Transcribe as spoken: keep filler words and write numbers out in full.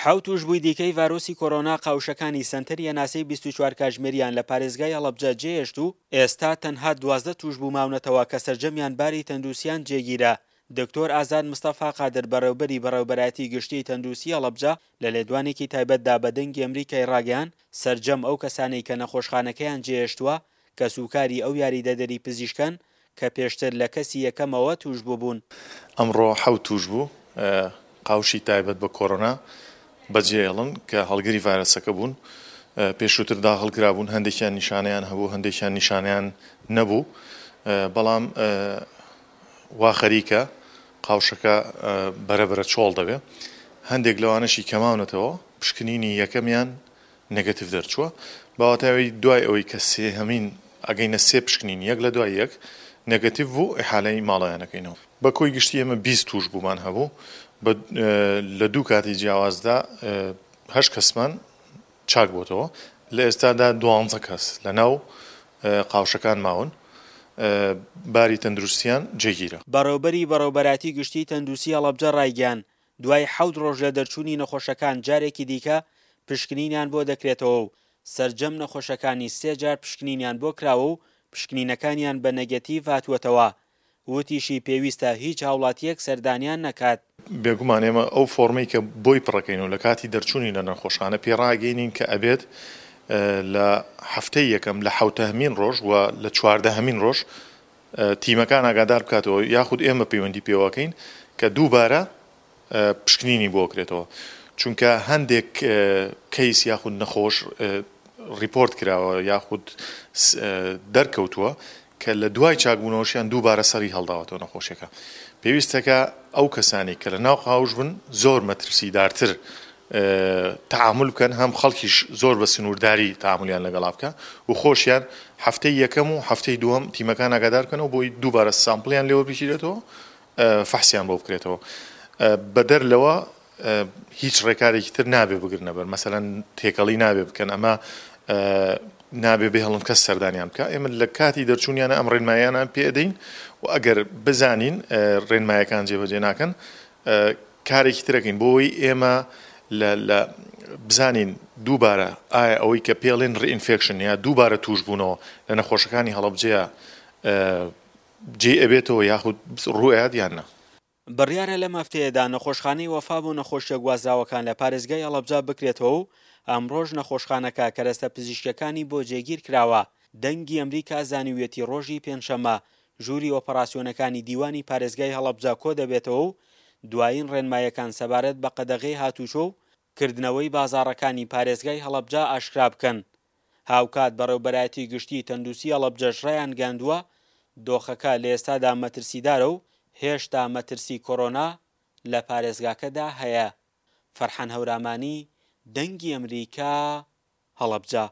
حەوت تووشبووی دیکەی ڤایرۆسی کۆرۆنا قاوشەکانی سەنتەری هەناسەی بیست و چوار کاتژمێریان لە پارێزگای هەڵەبجە جێهێشت و ئێستا تەنها دوازدە تووشبوو ماونەتەوە کە سەرجەمیان باری تەندروستیان جێگیرە. دکتۆر ئازاد مستەفا قادر بەڕێوبەری بەڕێوبەرایەتی گشتی تەندروستی هەڵەبجە لە لێدوانێکی تایبەتدا بە دەنگی ئەمریکای ڕاگەیاند سەرجەم ئەو کەسانەی کە نەخۆشخانەکەیان جێهێشتووە کەسوکاری ئەو یاریدەدەری پزیشکەن کە پێشتر لە کەسی یەکەمەوە تووشبوو بوون. ئەمڕۆ حەوت تووشبوو قاوشی تایبەت بە کۆرۆنا بەجێهێڵن کە هەڵگری ڤایرەسەکە بوون، پێشووتر داخڵ کرابوون، هەندێکیان نیشانەیان هەبوو، هەندێکیان نیشانەیان نەبوو، بەڵام وا خەریکە قاوشەکە بەرەبەرە چۆڵ دەبێ. هەندێک لەوانەشی کەماونەتەوە پشکنینی یەکەمیان نێگەتیڤ دەرچووە، باوەتاوی دوای ئەوەی کە سێهەمین ئەگەینە سێ پشکنین یەک لە دوای یەک نێگەتیڤ بوو ئیحالەی ماڵیانەکەینەوە. بە کۆی گشتی ئێمە بیست تووش بوومان هەبوو، لە دوو کاتی جیاوازدا هەشت کەسمان چاک بۆتەوە، لە ئێستادا دوانزە کەس لە ناو قاوشەکان ماون، باری تەندروستیان جێگیرە. بەڕێوبەری بەڕێوبەراتی گشتی تەندروستی هەڵەبجە ڕایگەیاند، دوای حەوت ڕۆژ لە دەرچوونی نەخۆشەکان جارێکی دیکە پشکنینیان بۆ دەکرێتەوە و سەرجەم نەخۆشەکانی سێ جار پشکنینیان بۆ کراوە و پشکنینەکانیان بە نێگەتیڤ هاتووەتەوە. وتیشی پێویستە هیچ هاوڵاتیەک سەردانیان نەکات. بێگومان ئێمە ئەو فۆرمەی کە بۆی پڕەکەین و لە کاتی دەرچوونی لە نەخۆشخانە پێڕاگەینین کە ئەبێت لە هەفتەی یەکەم لە حەوتەهەمین ڕۆژ و لە چواردەهەمین ڕۆژ تیمەکان ئاگادار بکاتەوە یاخود ئێمە پەیوەندی پێوەکەین کە دووبارە پشکنینی بۆ کرێتەوە، چونکە هەندێک کەیس یاخود نەخۆش ڕیپۆرت کراوە یاخود دەرکەوتووە کە لە دوای چاکبوونەوەشیان دووبارە سەری هەڵداوەتەوە نەخۆشیەکە. پێویستەکە ئەو کەسانی کە لە ناو قاوش بن زۆر مەترسیدارتر تعامل بکەن، هەم خەڵکیش زۆر بە سنوورداری تعاملیان لەگەڵا بکە و خۆشیان هەفتەی یەکەم و هەفتەی دووەم تیمەکان ئاگادار بکەنەوە بۆی دووبارە سامپڵیان لێوە بگیرێتەوە، فەحسیان بۆ بکرێتەوە. بەدەر لەوە هیچ ڕێکارێکی تر نابێ بگرنە بەر، مەسەلەن تێکەڵی نابێ بکەن، ئەمە نابێ بهێڵن کەس سەردانیان بکە. ئێمە لە کاتی دەرچوونیانە ئەم ڕێنماییانە پێدەین و ئەگەر بزانین ڕێنمایەکان جێبەجێ ناکەن کارێکی ترەکەین بۆ ئەوەی ئێمە لە بزانین دووبارە ئایا ئەوەی کە پێڵێن ڕئینفێکشن یا دووبارە توش بوونەوە لە نەخۆشەکانی هەڵەبجەیە جێ ئەبێتەوە یاخود ڕوئەیات یان نا. بڕیارە لەم هەفتەیەدا نەخۆشخانەی وەفا بۆ نەخۆشیە گوازراوەکان لە پارێزگای هەڵەبجە بکرێتەوە و ئەمڕۆژ نەخۆشخانەکە کەرەستە پزیشکەکانی بۆ جێگیر کراوە. دەنگی ئەمریکا زانیویەتی ڕۆژی پێنجشەممە ژووری ئۆپەراسیۆنەکانی دیوانی پارێزگای هەڵەبجە کۆ دەبێتەوە و دوایین ڕێنمایەکان سەبارەت بە قەدەغەی هاتوچۆ و کردنەوەی بازاڕەکانی پارێزگای هەڵەبجە ئاشکرا بکەن. هاوکات بەڕێوبەرایەتی گشتی تەندروستی هەڵەبجەش ڕایانگەیاندووە دۆخەکە لە ئێستادا مەترسیدارە و هێشتا مەترسی کۆرۆنا لە پارێزگاکەدا هەیە. فەرحان هەورامانی، دەنگی ئەمریکا، هەڵەبجە.